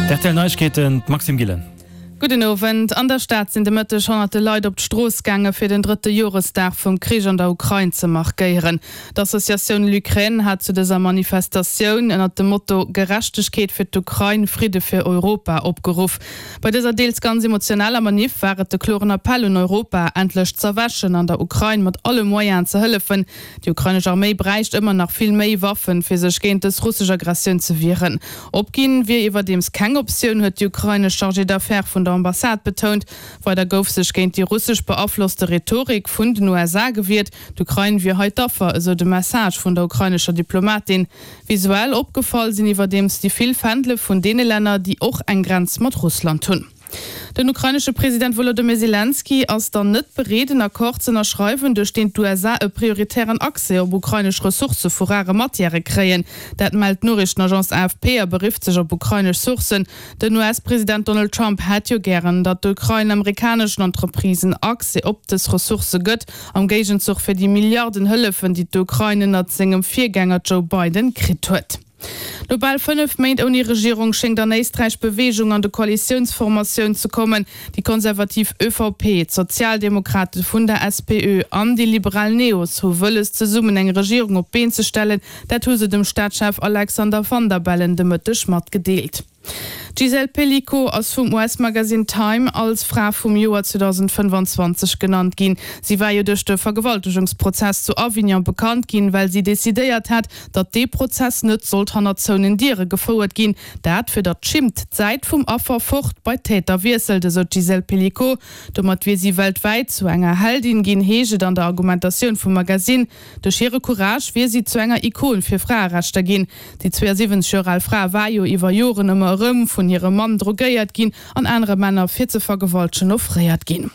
D'RTL Neiegkeeten, d'Maxime Gillen. Gudden Owend. An der Stad sinn de Mëtteg honnerte Leit op d'Strooss gaange fir den drëtte Joresdag vum Krich an der Ukrain ze markéieren. D'Associatioun LUkraine hat zu dëser Manifestatioun ënnert dem Motto Gerechtegkeet fir d'Ukrain, Fridde fir Europa opgeruff. Bei dëser deels ganz emotionaler Maniff war et de kloren Appell un Europa, endlech z'erwächen an der Ukrain mat alle Moyenen ze hëllefen. Déi ukrainesch Arméi bräicht ëmmer nach vill méi Waffen, fir sech géint dës russesch Aggressioun ze wieren. Opginn wier iwwerdeems keng Optioun, huet déi ukrainesch Chargée d'affaires vun der Ambassade betount. Weider gouf sech géint déi russesch beaflosste Rhetorik vun den USA gewiert. D'Ukrain wier hei d'Affer, esou de Message vun der ukrainescher Diplomatin. Visuell opgefall sinn iwwerdeems déi vill Fändele vun deene Länner, déi och eng Grenz mat Russland hunn. Den ukrainesche President Wolodymyr Selenskyj ass dann net bereet, en Accord z'ënnerschreiwen, duerch deen d'USA e prioritären Accès op ukrainesch Ressourcë vu rare Matièrë kréien. Dat mellt d'Noriichtenagence AFP a berifft sech op ukrainesch Sourcen. Den US-President Donald Trump hätt jo gären, datt d'Ukrain amerikaneschen Entreprisen Accès op dës Ressourcë gëtt, am Géigenzuch fir déi Milliarden Hëllefen, déi d'Ukrain ënnert sengem Virgänger Joe Biden kritt huet. No bal 5 Méint ouni Regierung schéngt an Éisträich Beweegung an de Koalitiounsformatioun ze kommen. Déi konservativ ÖVP, d'Sozialdemokrate vun der SPÖ an déi liberal Neos hu wëlles zesummen eng Regierung op d'Been ze stellen. Dat hu se dem Staatschef Alexander Van der Bellen de Mëtteg matgedeelt. D'Gisèle Pelicot ass vum US-Magasinn Time als Fra vum Joer 2025 genannt ginn. Si war jo duerch de Vergewaltegungsprozess zu Avignon bekannt ginn, well si decidéiert hat, datt dee Prozess net sollt hanner zouenen Diere gefouert ginn. Dat, fir datt d'Schimmt d'Säit vum Affer fort bei d'Täter wiesselt, esou d'Gisèle Pelicot. Domat wier si weltwäit zu enger Heldin ginn, heescht et an der Argumentatioun vum Magasinn. Duerch hire Courage wier si zu enger Ikon fir Fraerechter ginn. Déi 72 Joer al Fra war jo iwwer Joren ëmmer erëm vun hirem Mann drogéiert ginn an anere Männer fir ze vergewaltegen offréiert ginn.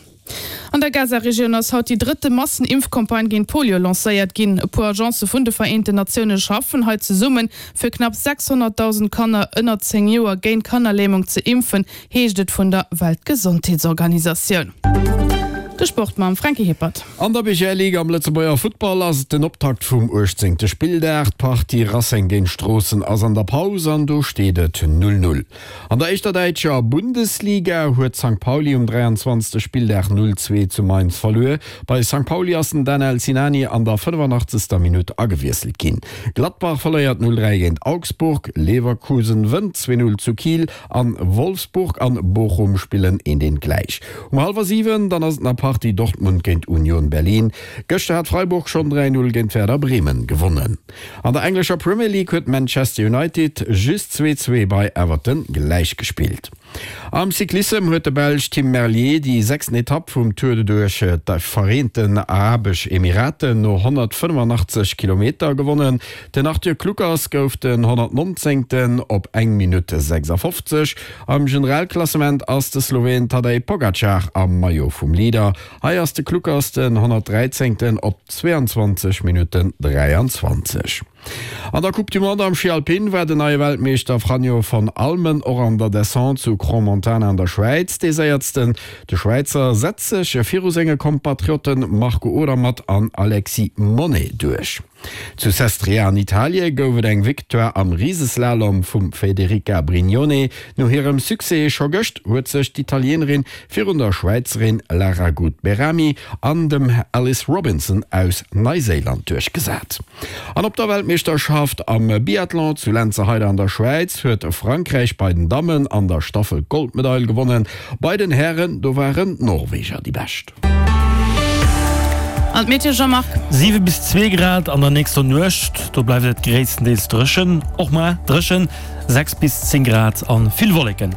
An der Gaza-Regioun ass haut déi drëtte Massen-Impfcampagne géint Polio lancéiert ginn. E puer Agencë vun de Vereenten Natioune schaffen hei zesummen, fir knapp 600.000 Kanner ënner 10 Joer géint Kannerlämung ze impfen, heescht et vun der Weltgesondheetsorganisatioun. De Sport mam Franky Hippert. An der BGL Ligue am Lëtzebuerger Futtball ass et den Optakt vum 18. Spilldag. D'Partie Racing géint Stroossen ass an der Paus an do steet et 0, 0. An der éischter däitscher Bundesliga huet Sankt Pauli um 23. Spilldag 0, 2 zu Mainz verluer. Bei Sankt Pauli ass den Danel Sinani an der 85. Minutt agewiesselt ginn. Gladbach verléiert 0, 3 géint Augsburg, Leverkusen wënnt 2, 0 zu Kiel An Wolfsburg an Bochum spillen eent eent gläich. Um hallwer 7 dann ass et nach Partie Dortmund géint Union Berlin. Gëschter hat Freiburg schonn 3, 0 géint Werder Bremen gewonnen. An der englescher Premier League huet Manchester United just 2, 2 bei Everton gläich gespillt. Am Cyclissem huet de Belsch Tim Merlier déi sechsten Etapp vum Tour duerch d'Vereenten Arabesch Emiraten no 185 Kilometer gewonnen. Den Arthur Kluckers gouf den 119. Op eng Minutt 56. Am Generalklassement ass de Sloween Tadej Pogacar am Maillot vum Leader. Hei ass de Kluckers den 113. Op 22 Minutten 23. An der Coupe du Monde am Schi Alpin war den neie Weltmeeschter Franjo von Allmen och an der Descente zu Crans-Montana an der Schwäiz dee Séiertsten. De Schwäizer setzt sech viru senge Kompatriotten Marco Odermatt an Alexis Monney duerch. Zu Sestriere an Italie gouf et eng Victoire am Riseslalom vum Federica Brignone. No hirem Succès scho gëscht huet sech d'Italienerin virun der Schwäizerin Lara Gut-Behrami an dem Alice Robinson aus Neiséiland duerchgesat. An op der Weltmeeschterschaft am Biathlon zu Lenzerheide an der Schwäiz huet Frankräich bei den Dammen an der Staffel d'Goldmedail gewonnen. Bei den Hären, do waren d'Norweger déi Bescht. An d'Meteo, Jean-Marc? 7 bis 2 Grad an der nächster Nuecht, do bleift et gréisstendeels dréchen, och mar dréchen, 6 bis 10 Grad an vill Wolleken.